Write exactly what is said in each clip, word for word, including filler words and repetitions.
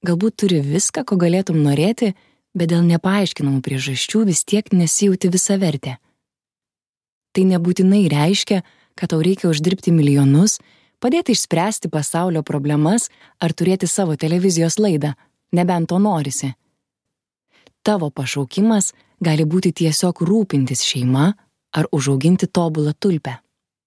Galbūt turi viską, ko galėtum norėti, bet dėl nepaaiškinamų priežasčių vis tiek nesijauti visavertė. Tai nebūtinai reiškia, kad tau reikia uždirbti milijonus, padėti išspręsti pasaulio problemas ar turėti savo televizijos laidą, nebent to norisi. Tavo pašaukimas gali būti tiesiog rūpintis šeima ar užauginti tobulą tulpę.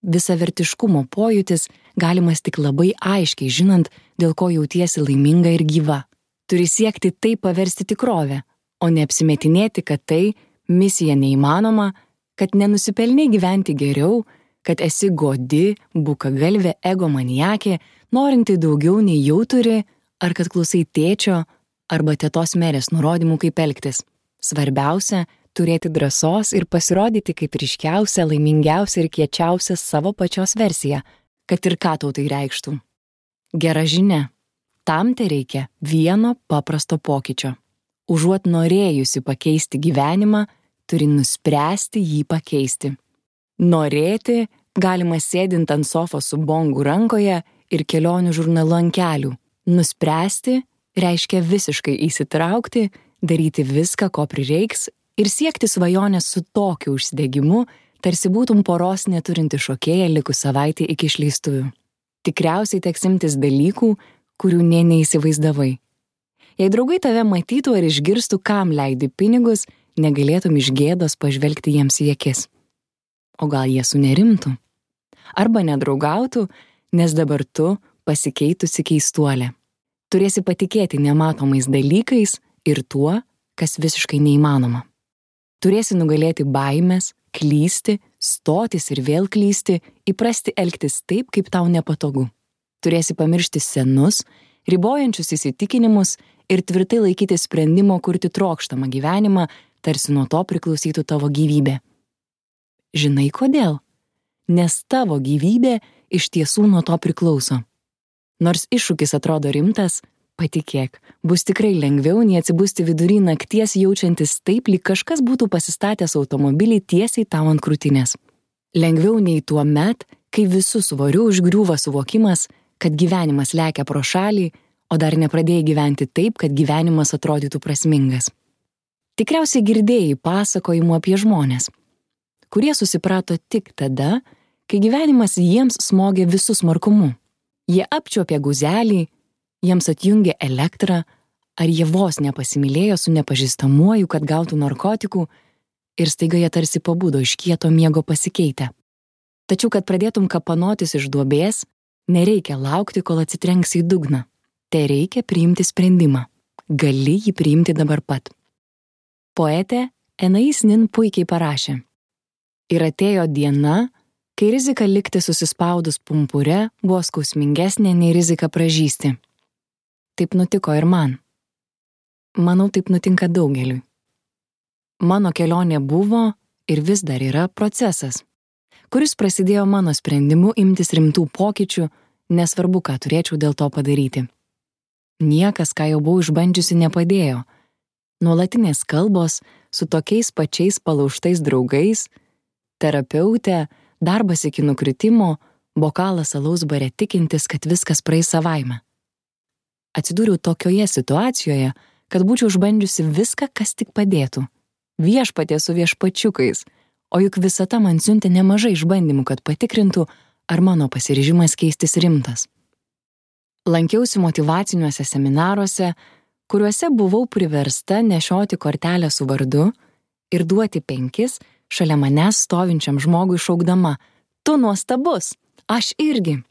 Visavertiškumo pojūtis galimas tik labai aiškiai žinant, dėl ko jautiesi laiminga ir gyva. Turi siekti tai paversti tikrovę, o neapsimetinėti, kad tai misija neįmanoma, kad nenusipelnai gyventi geriau, kad esi godi, bukagalvė egomaniakė, norinti daugiau nei jau turi, ar kad klausai tėčio arba tetos merės nurodymų, kaip elgtis. Svarbiausia – turėti drąsos ir pasirodyti kaip ryškiausia, laimingiausia ir kiečiausia savo pačios versija, kad ir ką tau tai reikštų. Gera žinia. Tam te reikia vieno paprasto pokyčio. Užuot norėjusi pakeisti gyvenimą, turi nuspręsti jį pakeisti. Norėti galima sėdint ant sofos su bongu rankoje ir kelionių žurnalu ant kelių. Nuspręsti reiškia visiškai įsitraukti, daryti viską, ko prireiks ir siekti svajonės su tokiu užsidegimu, tarsi būtum poros neturinti šokėja likus savaitė iki išleistuvių. Tikriausiai teks imtis dalykų, kurių nė neįsivaizdavai. Jei draugai tave matytų ar išgirstų, kam leidi pinigus, negalėtum iš gėdos pažvelgti jiems į akis. O gal jie sunerimtų? Arba nedraugautų, nes dabar tu pasikeitusi keistuolė. Turėsi patikėti nematomais dalykais ir tuo, kas visiškai neįmanoma. Turėsi nugalėti baimės, klysti, stotis ir vėl klysti, įprasti elgtis taip, kaip tau nepatogu. Turėsi pamiršti senus, ribojančius įsitikinimus ir tvirtai laikyti sprendimo kurti trokštamą gyvenimą, tarsi nuo to priklausytų tavo gyvybė. Žinai kodėl? Nes tavo gyvybė iš tiesų nuo to priklauso. Nors iššūkis atrodo rimtas, patikėk, bus tikrai lengviau nei atsibusti vidury nakties jaučiantis taip, lyg kažkas būtų pasistatęs automobilį tiesiai tau ant krūtinės. Lengviau nei tuo met, kai visų svorių užgriūva suvokimas, kad gyvenimas lekia pro šalį, o dar nepradėjai gyventi taip, kad gyvenimas atrodytų prasmingas. Tikriausiai girdėjai pasakojimų apie žmones, kurie susiprato tik tada, kai gyvenimas jiems smogė visų smarkumu. Jie apčiuopė guzelį, jiems atjungė elektrą, ar jie vos nepasimylėjo su nepažįstamuoju, kad gautų narkotikų ir staiga jie tarsi pabudo iš kieto miego pasikeitę. Tačiau, kad pradėtum kapanotis iš duobės, nereikia laukti, kol atsitrenks į dugną. Te reikia priimti sprendimą. Gali jį priimti dabar pat. Poetė Anais Nin puikiai parašė. Ir atėjo diena, kai rizika likti susispaudus pumpure buvo skausmingesnė nei rizika pražysti. Taip nutiko ir man. Manau, taip nutinka daugeliui. Mano kelionė buvo ir vis dar yra procesas, kuris prasidėjo mano sprendimu imtis rimtų pokyčių, nesvarbu, ką turėčiau dėl to padaryti. Niekas, ką jau buvau išbandžiusi, nepadėjo. Nuolatinės kalbos su tokiais pačiais palaužtais draugais, terapeutė, darbas iki nukritimo, bokalas alaus bare tikintis, kad viskas praeis savaime. Atsidūriau tokioje situacijoje, kad būčiau išbandžiusi viską, kas tik padėtų. Viešpatie su viešpačiukais, o juk visata man siuntė nemažai išbandymų, kad patikrintų, ar mano pasiryžimas keistis rimtas. Lankiausi motyvaciniuose seminaruose, kuriuose buvau priversta nešioti kortelę su vardu ir duoti penkis šalia manęs stovinčiam žmogui šaukdama: "Tu nuostabus, aš irgi."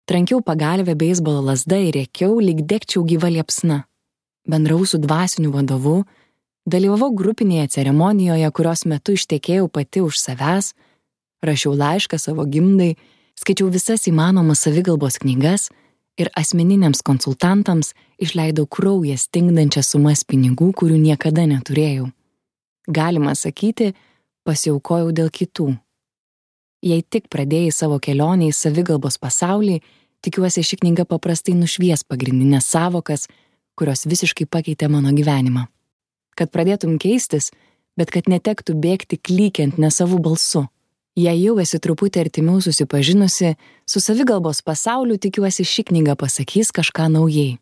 Trankiau pagalvę beisbolo lazda ir rėkiau, lyg degčiau gyva liepsna. Bendravau su dvasiniu vadovu, dalyvavau grupinėje ceremonijoje, kurios metu ištekėjau pati už savęs, rašiau laišką savo gimdai, skaičiau visas įmanomas savigalbos knygas ir asmeniniams konsultantams išleidau kraują stingdančias sumas pinigų, kurių niekada neturėjau. Galima sakyti, pasiaukojau dėl kitų. Jei tik pradėjai savo kelionę į savigalbos pasaulį, tikiuosi, ši knyga paprastai nušvies pagrindinės savokas, kurios visiškai pakeitė mano gyvenimą. Kad pradėtum keistis, bet kad netektų bėgti klykiant nesavų balsu. Jei jau esi truputį artimiau susipažinusi, su savigalbos pasauliu, tikiuosi, ši knyga pasakys kažką naujai.